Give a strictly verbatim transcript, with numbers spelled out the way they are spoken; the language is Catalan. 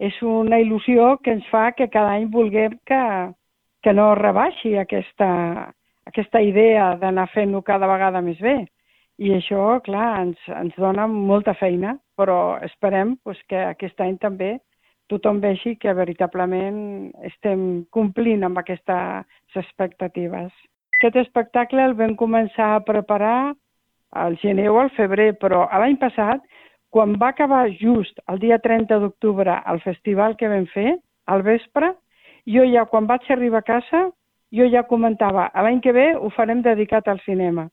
és una il·lusió que ens fa que cada any vulguem que, que no rebaixi aquesta, aquesta idea d'anar fent-ho cada vegada més bé. I això, clar, ens, ens dona molta feina, però esperem pues, que aquest any també tothom vegi que veritablement estem complint amb aquestes expectatives. Aquest espectacle el vam començar a preparar al gener o al febrer, però l'any passat, quan va acabar just el dia trenta d'octubre el festival que vam fer, al vespre, jo ja, quan vaig arribar a casa, jo ja comentava, l'any que ve ho farem dedicat al cinema.